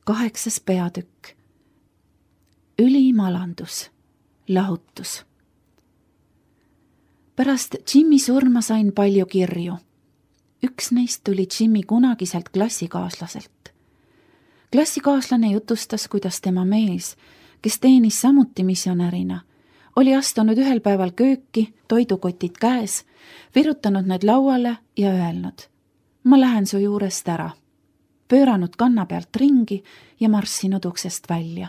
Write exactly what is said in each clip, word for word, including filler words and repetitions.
Kaheksas peatükk. Ülim alandus, lahutus. Pärast Jimmy surma sain palju kirju. Üks neist tuli Jimmy kunagiselt klassikaaslaselt. Klassikaaslane jutustas, kuidas tema mees, kes teenis samuti missionärina, oli astunud ühel päeval kööki, toidukotid käes, virutanud need lauale ja öelnud: ma lähen su juurest ära, pööranud kanna pealt ringi ja marssinud uksest välja.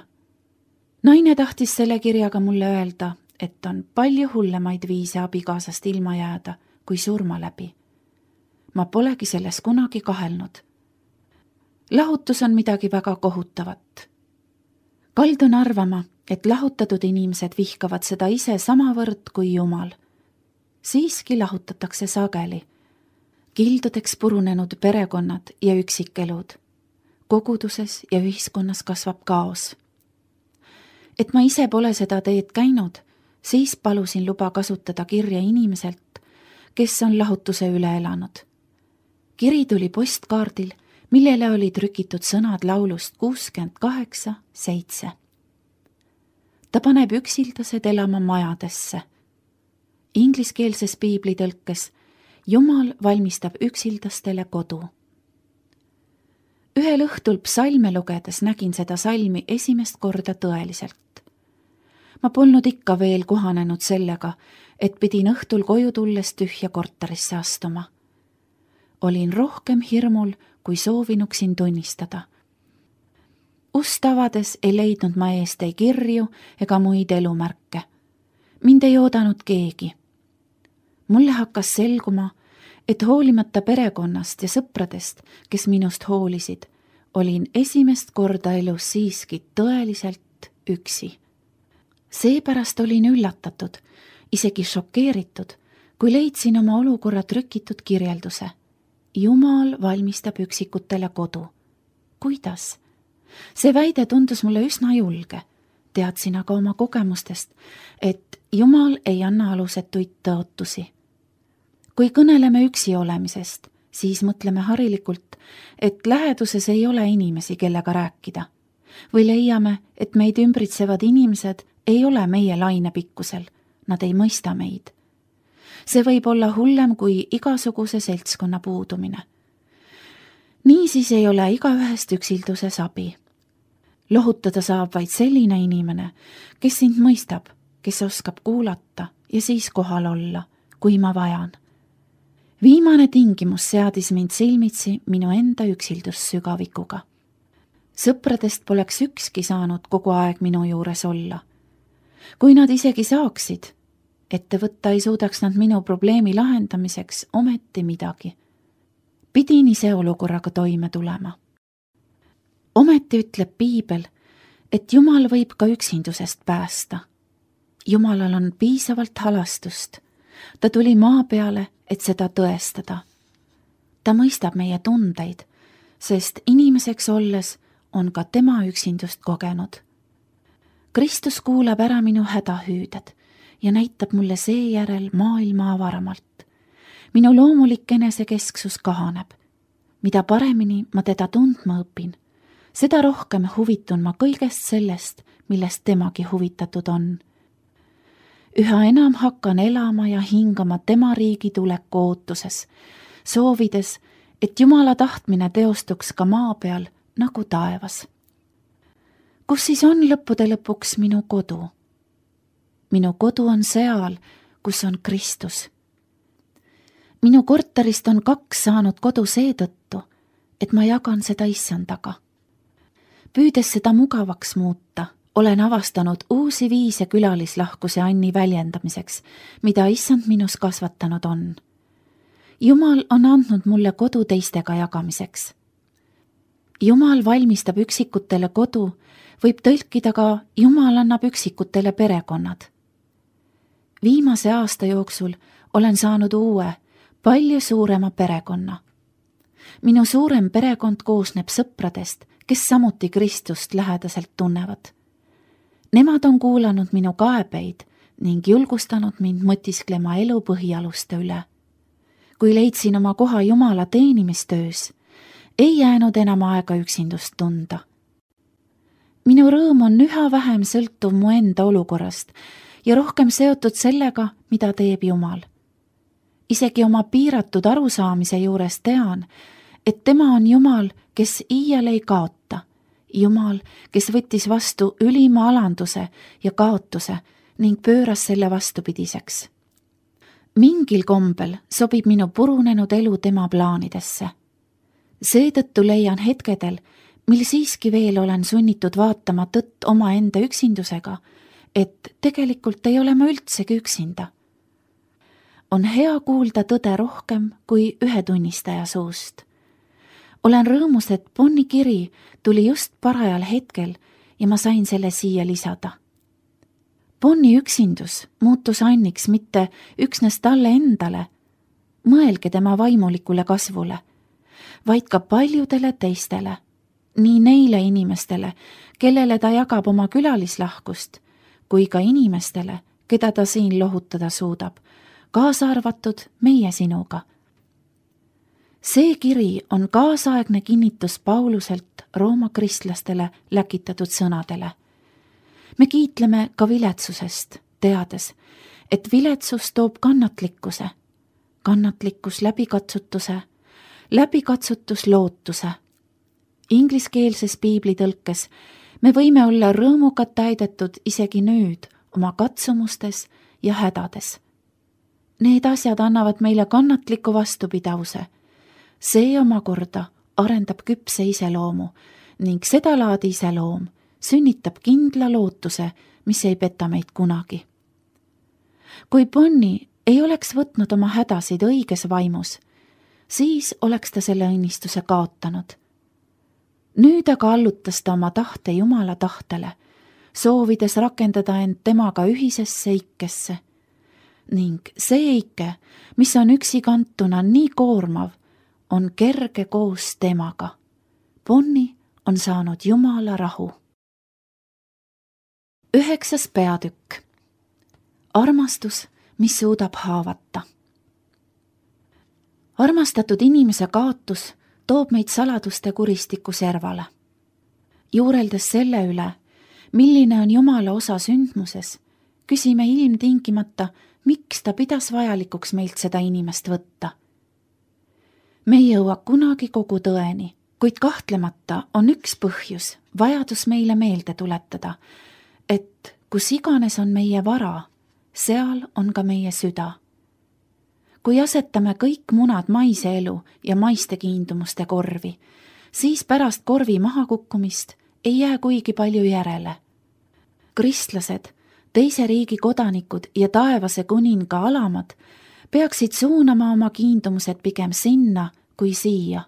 Naine tahtis selle kirjaga mulle öelda, et on palju hullemaid viise abikaasast ilma jääda kui surma läbi. Ma polegi selles kunagi kahelnud. Lahutus on midagi väga kohutavat. Kaldun arvama, et lahutatud inimesed vihkavad seda ise samavõrd kui Jumal. Siiski lahutatakse sageli. Kildudeks purunenud perekonnad ja üksikelud. Koguduses ja ühiskonnas kasvab kaos. Et ma ise pole seda teed käinud, siis palusin luba kasutada kirja inimeselt, kes on lahutuse üle elanud. Kiri tuli postkaardil, millele oli trükitud sõnad laulust kuuskümmend kaheksa seitse. Ta paneb üksildased elama majadesse. Ingliskeelses piiblitõlkes Jumal valmistab üksildastele kodu. Ühel õhtul psalme lugedes nägin seda salmi esimest korda tõeliselt. Ma polnud ikka veel kohanenud sellega, et pidin õhtul koju tulles tühja korterisse astuma. Olin rohkem hirmul, kui soovinuksin tunnistada. Ust avades ei leidnud ma eest ei kirju ega muid elumärke. Mind ei oodanud keegi. Mulle hakkas selguma, et hoolimata perekonnast ja sõpradest, kes minust hoolisid, olin esimest korda elus siiski tõeliselt üksi. Seepärast olin üllatatud, isegi šokeeritud, kui leidsin oma olukorra trükitud kirjelduse. Jumal valmistab üksikutele kodu. Kuidas? See väide tundus mulle üsna julge. Teadsin aga oma kogemustest, et Jumal ei anna alusetuid tõotusi. Kui kõneleme üksi olemisest, siis mõtleme harilikult, et läheduses ei ole inimesi, kellega rääkida. Või leiame, et meid ümbritsevad inimesed ei ole meie lainepikkusel, nad ei mõista meid. See võib olla hullem kui igasuguse seltskonna puudumine. Niisiis ei ole igaühest üksilduses abi. Lohutada saab vaid selline inimene, kes sind mõistab, kes oskab kuulata ja siis kohal olla, kui ma vajan. Viimane tingimus seadis mind silmitsi minu enda üksildussügavikuga. Sõpradest poleks ükski saanud kogu aeg minu juures olla. Kui nad isegi saaksid, ette võtta ei suudaks nad minu probleemi lahendamiseks ometi midagi. Pidin ise olukorraga toime tulema. Ometi ütleb piibel, et Jumal võib ka üksindusest päästa. Jumalal on piisavalt halastust. Ta tuli maa peale, et seda tõestada. Ta mõistab meie tundeid, sest inimeseks olles on ka tema üksindust kogenud. Kristus kuulab ära minu hädahüüded ja näitab mulle seejärel maailma avaramalt. Minu loomulik enesekesksus kahaneb. Mida paremini ma teda tundma õpin, seda rohkem huvitun ma kõigest sellest, millest temagi huvitatud on. Üha enam hakkan elama ja hingama tema riigi tuleku ootuses, soovides, et Jumala tahtmine teostuks ka maa peal nagu taevas. Kus siis on lõppude lõpuks minu kodu? Minu kodu on seal, kus on Kristus. Minu korterist on kaks saanud kodu seetõttu, et ma jagan seda issandaga. Püüdes seda mugavaks muuta, olen avastanud uusi viise külalislahkuse Anni väljendamiseks, mida issand minus kasvatanud on. Jumal on andnud mulle kodu teistega jagamiseks. Jumal valmistab üksikutele kodu, võib tõlkida ka Jumal annab üksikutele perekonnad. Viimase aasta jooksul olen saanud uue, palju suurema perekonna. Minu suurem perekond koosneb sõpradest, kes samuti Kristust lähedaselt tunnevad. Nemad on kuulanud minu kaebeid ning julgustanud mind mõtisklema elu põhialuste üle. Kui leidsin oma koha Jumala teenimistöös, ei jäänud enam aega üksindust tunda. minu rõõm on üha vähem sõltuv mu enda olukorrast ja rohkem seotud sellega, mida teeb Jumal. Isegi oma piiratud arusaamise juures tean, et tema on Jumal, kes iial ei kaota. Jumal, kes võttis vastu ülima alanduse ja kaotuse ning pööras selle vastupidiseks. Mingil kombel sobib minu purunenud elu tema plaanidesse. Seetõttu leian hetkedel, mil siiski veel olen sunnitud vaatama tõtt oma enda üksindusega, et tegelikult ei ole ma üldsegi üksinda. On hea kuulda tõde rohkem kui ühe tunnistaja suust. Olen rõõmus, et Bonni kiri tuli just parajal hetkel ja ma sain selle siia lisada. Bonni üksindus muutus Anniks mitte üksnes talle endale, mõelge tema vaimulikule kasvule, vaid ka paljudele teistele, nii neile inimestele, kellele ta jagab oma külalislahkust, kui ka inimestele, keda ta siin lohutada suudab, kaasa arvatud meie sinuga. See kiri on kaasaegne kinnitus Pauluselt Rooma kristlastele läkitatud sõnadele. Me kiitleme ka viletsusest, teades, et viletsus toob kannatlikkuse, kannatlikkus läbikatsutuse, läbikatsutus lootuse. Ingliskeelses piiblitõlkes me võime olla rõõmuga täidetud isegi nüüd oma katsumustes ja hädades. Need asjad annavad meile kannatliku vastupidavuse. See omakorda arendab küpse iseloomu ning sedalaadi iseloom sünnitab kindla lootuse, mis ei peta meid kunagi. Kui Bonni ei oleks võtnud oma hädasid õiges vaimus, siis oleks ta selle õnnistuse kaotanud. Nüüd aga allutas ta oma tahte Jumala tahtele, soovides rakendada end temaga ühisesse ikkesse. Ning see ikke, mis on üksikantuna nii koormav, on kerge koos temaga. Bonni on saanud Jumala rahu. Üheksas peatükk. Armastus, mis suudab haavata. Armastatud inimese kaotus toob meid saladuste kuristiku servale. Juureldes selle üle, milline on Jumala osa sündmuses, küsime ilmtingimata, miks ta pidas vajalikuks meilt seda inimest võtta. Me ei jõua kunagi kogu tõeni, kuid kahtlemata on üks põhjus, vajadus meile meelde tuletada, et kus iganes on meie vara, seal on ka meie süda. Kui asetame kõik munad maise elu ja maiste kiindumuste korvi, siis pärast korvi mahakukkumist ei jää kuigi palju järele. Kristlased, teise riigi kodanikud ja taevase kuninga alamad peaksid suunama oma kiindumused pigem sinna kui siia.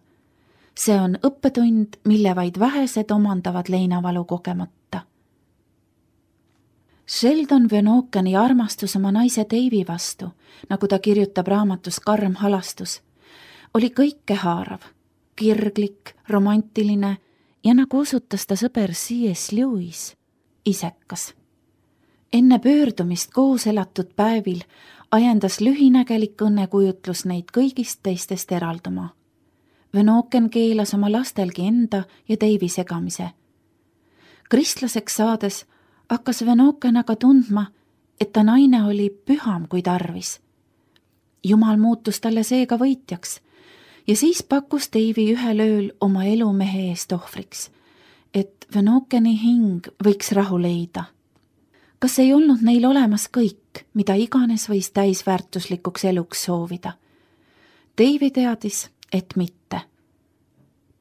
See on õppetund, mille vaid vähesed omandavad leinavalu kogemata. Sheldon Venokani armastus oma naise Davey vastu, nagu ta kirjutab raamatus Karm halastus, oli kõikehaarav, kirglik, romantiline ja nagu osutas ta sõber C S Lewis, isekas. Enne pöördumist koos elatud päevil ajendas lühinägelik õnnekujutlus neid kõigist teistest eralduma. Venoken keelas oma lastelgi enda ja Davey segamise. Kristlaseks saades hakkas Venoken aga tundma, et ta naine oli püham kui tarvis. Jumal muutus talle seega võitjaks ja siis pakkus Davey ühel ööl oma elu mehe eest ohvriks, et Venokeni hing võiks rahu leida. Kas ei olnud neil olemas kõik, mida iganes võis täisväärtuslikuks eluks soovida? Davey teadis, et mitte.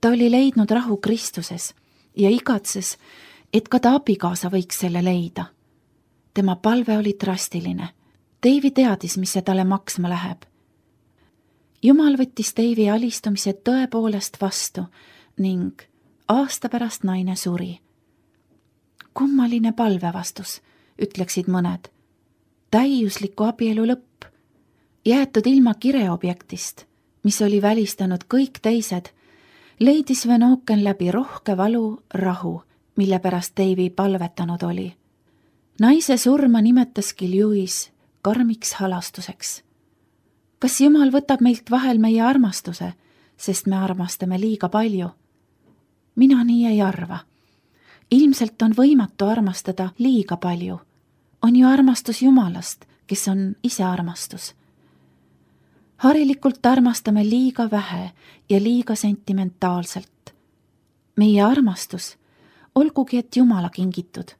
Ta oli leidnud rahu Kristuses ja igatses, et ka ta abikaasa võiks selle leida. Tema palve oli drastiline. Davey teadis, mis see talle maksma läheb. Jumal võttis Davey alistumise tõepoolest vastu ning aasta pärast naine suri. Kummaline palvevastus, ütleksid mõned. Täiusliku abielu lõpp, jäetud ilma kireobjektist, mis oli välistanud kõik teised, leidis Venoken läbi rohke valu rahu, mille pärast Davey palvetanud oli. Naise surma nimetaski Lewis karmiks halastuseks. Kas Jumal võtab meilt vahel meie armastuse, sest me armastame liiga palju? Mina nii ei arva. ilmselt on võimatu armastada liiga palju. On ju armastus Jumalast, kes on ise armastus. Harilikult armastame liiga vähe ja liiga sentimentaalselt. Meie armastus, olgugi et Jumala kingitud,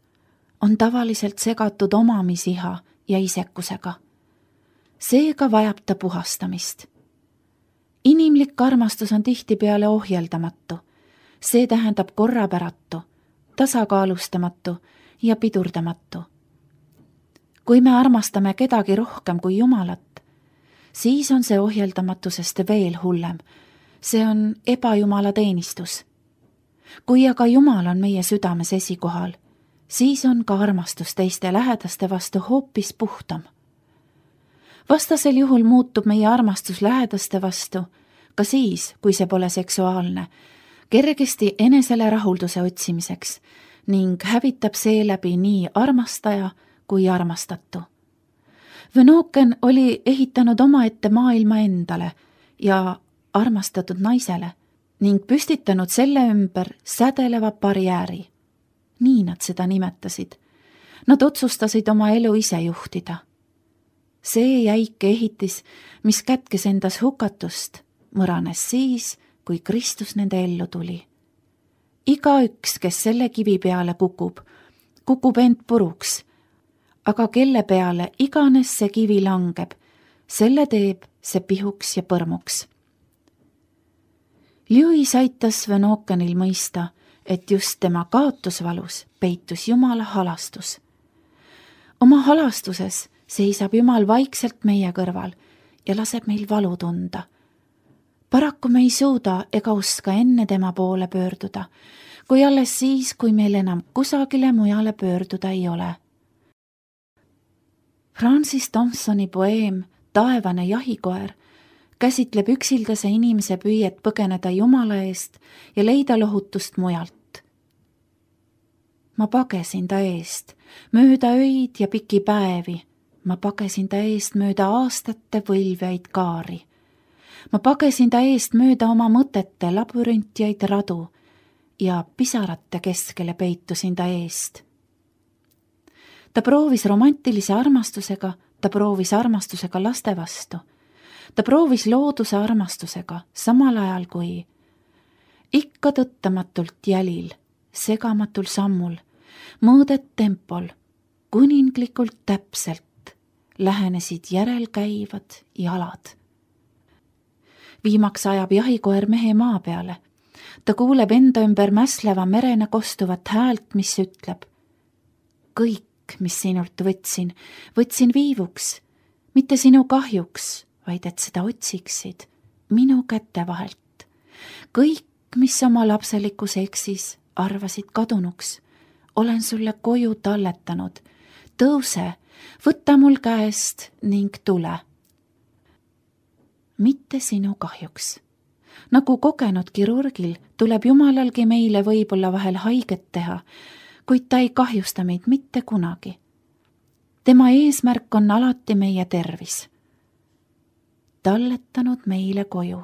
on tavaliselt segatud omamisiha ja isekusega. Seega vajab ta puhastamist. Inimlik armastus on tihtipeale ohjeldamatu. See tähendab korrapäratu, tasakaalustamatu ja pidurdamatu. Kui me armastame kedagi rohkem kui Jumalat, siis on see ohjeldamatusest veel hullem. See on ebajumala teenistus. Kui aga Jumal on meie südames esikohal, siis on ka armastus teiste lähedaste vastu hoopis puhtam. Vastasel juhul muutub meie armastus lähedaste vastu, ka siis, kui see pole seksuaalne, kergesti enesele rahulduse otsimiseks ning hävitab seeläbi nii armastaja kui armastatu. Venoken oli ehitanud omaette maailma endale ja armastatud naisele ning püstitanud selle ümber sädeleva barjääri. Nii nad seda nimetasid. Nad otsustasid oma elu ise juhtida. See jäik ehitis, mis kätkes endas hukatust, mõranes siis, kui Kristus nende ellu tuli. Igaüks, kes selle kivi peale kukub, kukub end puruks, aga kelle peale iganes see kivi langeb, selle teeb see pihuks ja põrmuks. Lewis aitas Venokenil mõista, et just tema kaotusvalus peitus Jumala halastus. Oma halastuses seisab Jumal vaikselt meie kõrval ja laseb meil valu tunda. Paraku me ei suuda ega oska enne tema poole pöörduda, kui alles siis, kui meil enam kusagile mujale pöörduda ei ole. Francis Thompsoni poeem Taevane jahikoer käsitleb üksildase inimese püüet põgeneda Jumala eest ja leida lohutust mujalt. Ma pagesin ta eest, mööda öid ja piki päevi, ma pagesin ta eest mööda aastate võlvjaid kaari. Ma pagesin ta eest mööda oma mõtete labürintjaid radu ja pisarate keskele peitusin ta eest. Ta proovis romantilise armastusega, ta proovis armastusega laste vastu. Ta proovis looduse armastusega, samal ajal kui ikka tõttamatult jälil, segamatul sammul, mõõdet tempol, kuninglikult täpselt lähenesid järelkäivad jalad. Viimaks ajab jahikoer mehe maa peale. Ta kuuleb enda ümber mäsleva merena kostuvat häält, mis ütleb: kõik, mis sinult võtsin, võtsin viivuks, mitte sinu kahjuks, vaid et seda otsiksid minu käte vahelt. Kõik, mis oma lapselikus eksis, arvasid kadunuks, olen sulle koju talletanud. Tõuse, võta mul käest ning tule. Mitte sinu kahjuks. Nagu kogenud kirurgil tuleb Jumalalgi meile võib-olla vahel haiget teha, kuid ta ei kahjusta meid mitte kunagi. Tema eesmärk on alati meie tervis. Talletanud meile koju.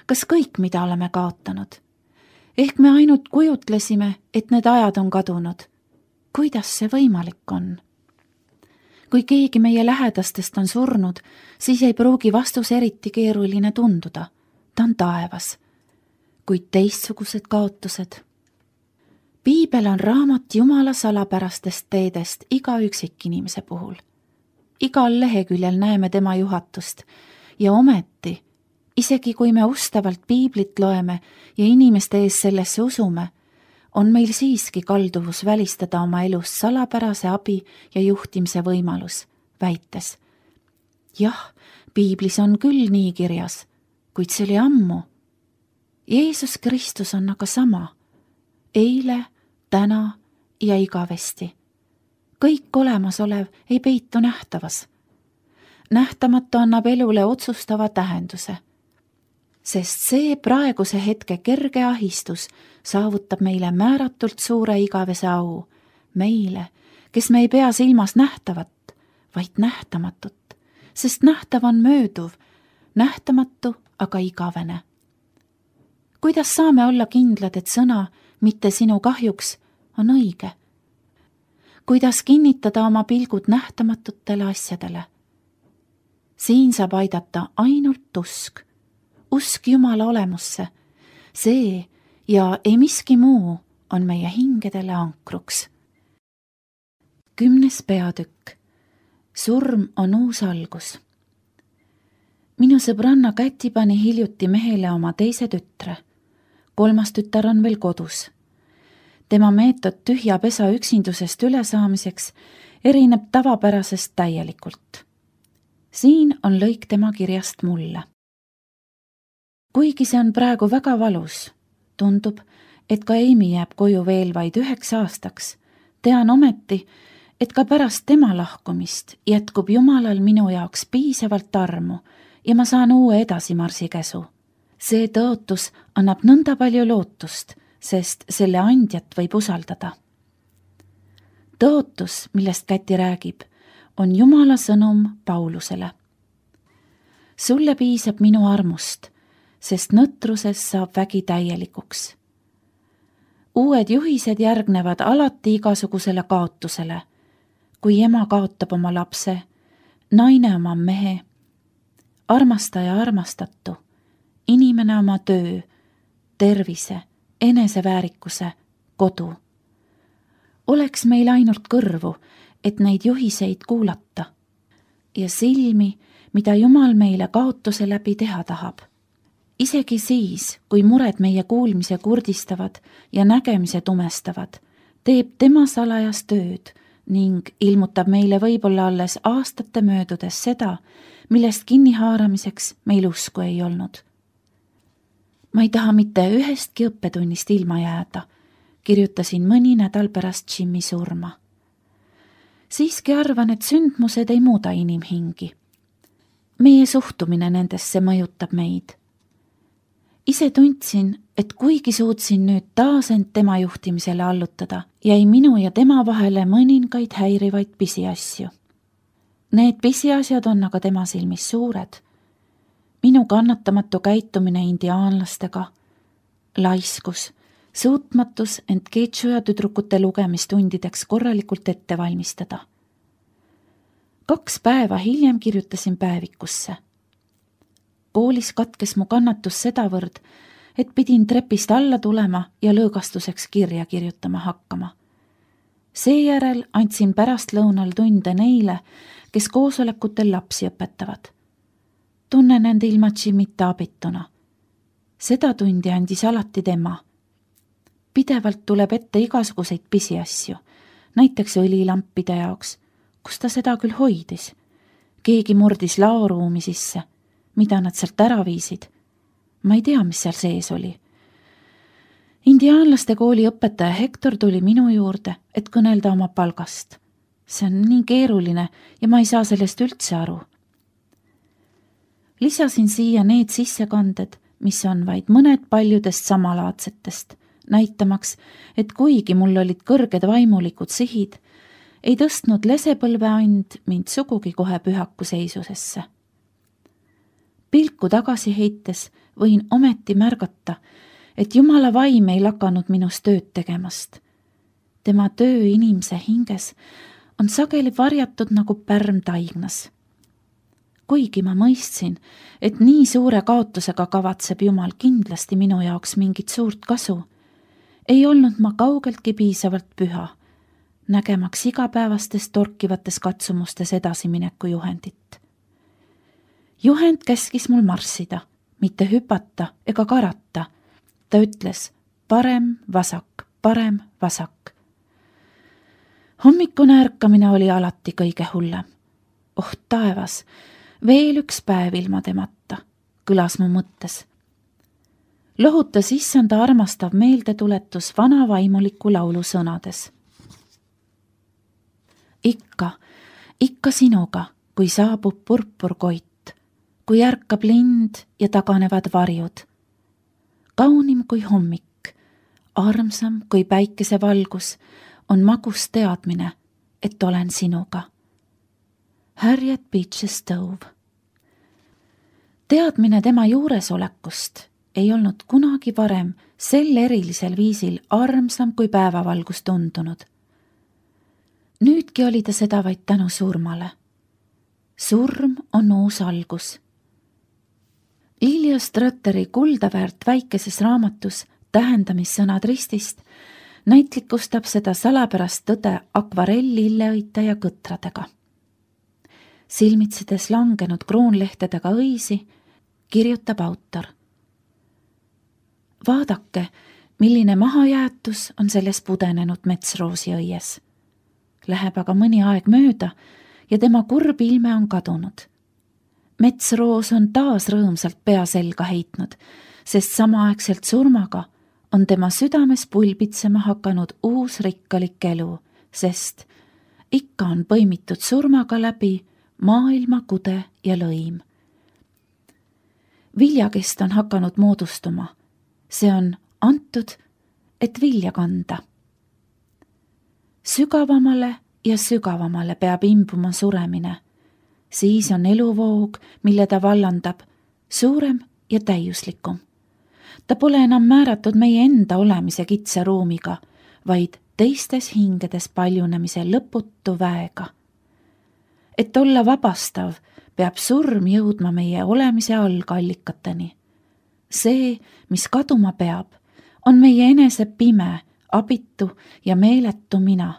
Kas kõik, mida oleme kaotanud? Ehk me ainult kujutlesime, et need ajad on kadunud. Kuidas see võimalik on? Kui keegi meie lähedastest on surnud, siis ei pruugi vastus eriti keeruline tunduda. Ta on taevas. Kuid teistsugused kaotused. Piibel on raamat Jumala salapärastest teedest iga üksikinimese puhul. Igal leheküljel näeme tema juhatust ja ometi, isegi kui me ustavalt piiblit loeme ja inimeste ees sellesse usume, on meil siiski kalduvus välistada oma elus salapärase abi ja juhtimise võimalus, väites: jah, piiblis on küll nii kirjas, kuid see oli ammu. Jeesus Kristus on aga sama, eile, täna ja igavesti. Kõik olemasolev ei peitu nähtavas. Nähtamatu annab elule otsustava tähenduse, sest see praeguse hetke kerge ahistus saavutab meile määratult suure igavese au, meile, kes me ei pea silmas nähtavat, vaid nähtamatut, sest nähtav on mööduv, nähtamatu aga igavene. Kuidas saame olla kindlad, et sõna mitte sinu kahjuks on õige. Kuidas kinnitada oma pilgud nähtamatutele asjadele? Siin saab aidata ainult usk, usk Jumala olemusse. See ja ei miski muu on meie hingedele ankruks. Kümnes peatükk. Surm on uus algus. Minu sõbranna Käti pani hiljuti mehele oma teise tütre. Kolmas tütar on veel kodus. Tema meetod tühja pesa üksindusest ülesaamiseks erineb tavapärasest täielikult. Siin on lõik tema kirjast mulle. Kuigi see on praegu väga valus, tundub, et ka Amy jääb koju veel vaid üheks aastaks, tean ometi, et ka pärast tema lahkumist jätkub Jumalal minu jaoks piisavalt armu ja ma saan uue edasimarsi käsu. See tõotus annab nõnda palju lootust, sest selle andjat võib usaldada. Tõotus, millest Käti räägib, on Jumala sõnum Paulusele. Sulle piisab minu armust, sest nõtruses saab vägi täielikuks. Uued juhised järgnevad alati igasugusele kaotusele, kui ema kaotab oma lapse, naine oma mehe, armastaja armastatu, inimene oma töö, tervise, eneseväärikuse, kodu. Oleks meil ainult kõrvu, et neid juhiseid kuulata ja silmi, mida Jumal meile kaotuse läbi teha tahab. Isegi siis, kui mured meie kuulmise kurdistavad ja nägemise tumestavad, teeb tema salajas tööd ning ilmutab meile võib-olla alles aastate möödudes seda, millest kinnihaaramiseks meil usku ei olnud. Ma ei taha mitte ühestki õppetunnist ilma jääda, kirjutasin mõni nädal pärast Jimmy surma. Siiski arvan, et sündmused ei muuda inimhingi. Meie suhtumine nendesse mõjutab meid. Ise tundsin, et kuigi suutsin nüüd taas end tema juhtimisele allutada, jäi minu ja tema vahele mõningaid häirivaid pisiasju. Need pisiasjad on aga tema silmis suured. Minu kannatamatu käitumine indiaanlastega, laiskus, suutmatus end Keetsu ja tüdrukute lugemistundideks korralikult ette valmistada. Kaks päeva hiljem kirjutasin päevikusse. Koolis katkes mu kannatus sedavõrd, et pidin trepist alla tulema ja lõõgastuseks kirja kirjutama hakkama. Seejärel andsin pärastlõunal tunde neile, kes koosolekutel lapsi õpetavad. Tunnen end ilma Jimmita abituna. Seda tundi andis alati tema. Pidevalt tuleb ette igasuguseid pisiasju, näiteks õlilampide jaoks, kus ta seda küll hoidis. Keegi murdis laoruumi sisse, mida nad sealt ära viisid. Ma ei tea, mis seal sees oli. Indiaanlaste kooli õpetaja Hector tuli minu juurde, et kõnelda oma palgast. See on nii keeruline ja ma ei saa sellest üldse aru. Lisasin siia need sissekanded, mis on vaid mõned paljudest samalaadsetest, näitamaks, et kuigi mul olid kõrged vaimulikud sihid, ei tõstnud lesepõlveand mind sugugi kohe pühaku seisusesse. Pilku tagasi heites võin ometi märgata, et Jumala vaim ei lakanud minus tööd tegemast. Tema töö inimese hinges on sageli varjatud nagu pärm taignas. Kuigi ma mõistsin, et nii suure kaotusega kavatseb Jumal kindlasti minu jaoks mingit suurt kasu, ei olnud ma kaugeltki piisavalt püha, nägemaks igapäevastes torkivates katsumustes edasimineku juhendit. Juhend käskis mul marssida, mitte hüpata ega karata. Ta ütles parem, vasak, parem, vasak. Hommikune ärkamine oli alati kõige hullem. Oh taevas, veel üks päev ilma temata, kõlas mu mõttes. Lohutas issanda armastav meeldetuletus vana vaimuliku laulu sõnades. Ikka, ikka sinuga, kui saabub purpurkoit, kui ärkab lind ja taganevad varjud. Kaunim kui hommik, armsam kui päikesevalgus, on magus teadmine, et olen sinuga. Harriet Beecher Stowe. Teadmine tema juuresolekust ei olnud kunagi varem sel erilisel viisil armsam kui päevavalgus tundunud. Nüüdki oli ta seda vaid tänu surmale. Surm on uus algus. Lilja Strötteri kuldaväärt väikeses raamatus Tähendamissõnad ristist näitlikustab seda salapärast tõde akvarell-lilleõite ja kõtradega. Silmitsedes langenud kroonlehtedega õisi, kirjutab autor. Vaadake, milline mahajäätus on selles pudenenud metsroosi õies. Läheb aga mõni aeg mööda ja tema kurb ilme on kadunud. Metsroos on taas rõõmsalt pea selga heitnud, sest samaaegselt surmaga on tema südames pulbitsema hakanud uus rikkalik elu, sest ikka on põimitud surmaga läbi maailma kude ja lõim. Viljakest on hakanud moodustuma. See on antud, et vilja kanda. Sügavamale ja sügavamale peab imbuma suremine. Siis on eluvoog, mille ta vallandab, suurem ja täiuslikum. Ta pole enam määratud meie enda olemise kitsa ruumiga, vaid teistes hingedes paljunemise lõputu väega. Et olla vabastav, peab surm jõudma meie olemise algallikateni. See, mis kaduma peab, on meie enese pime, abitu ja meeletu mina.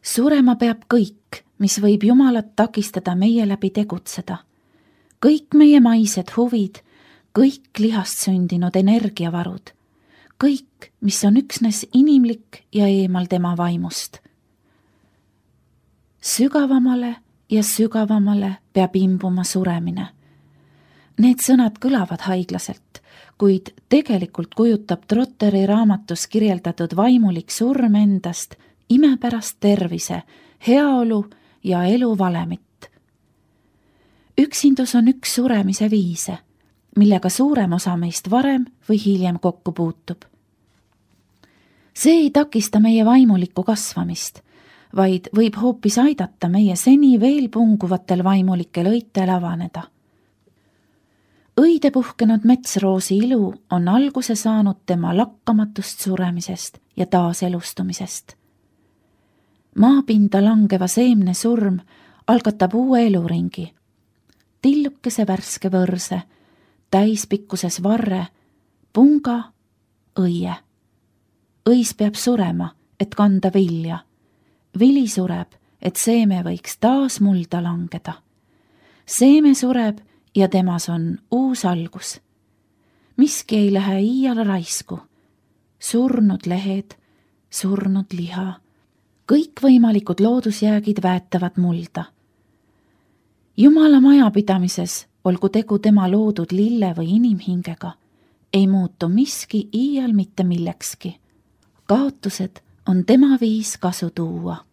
Surema peab kõik, mis võib Jumalat takistada meie läbi tegutseda. Kõik meie maised huvid, kõik lihast sündinud energiavarud, kõik, mis on üksnes inimlik ja eemal tema vaimust. Sügavamale ja sügavamale peab imbuma suremine. Need sõnad kõlavad haiglaselt, kuid tegelikult kujutab Trotteri raamatus kirjeldatud vaimulik surm endast imepärast tervise, heaolu ja elu valemit. Üksindus on üks suremise viise, millega suurem osa meist varem või hiljem kokku puutub. See ei takista meie vaimulikku kasvamist, vaid võib hoopis aidata meie seni veel punguvatel vaimulikel õitel avaneda. Õide puhkenud metsroosi ilu on alguse saanud tema lakkamatust suremisest ja taaselustumisest. Maapinda langeva seemne surm algatab uue eluringi. Tillukese värske võrse, täispikkuses varre, punga, õie. Õis peab surema, et kanda vilja. Vili sureb, et seeme võiks taas mulda langeda. Seeme sureb ja temas on uus algus. Miski ei lähe iial raisku. Surnud lehed, surnud liha, kõikvõimalikud loodusjäägid väetavad mulda. Jumala majapidamises, olgu tegu tema loodud lille või inimhingega, ei muutu miski iial mitte millekski. Kaotused on tema viis kasu tuua.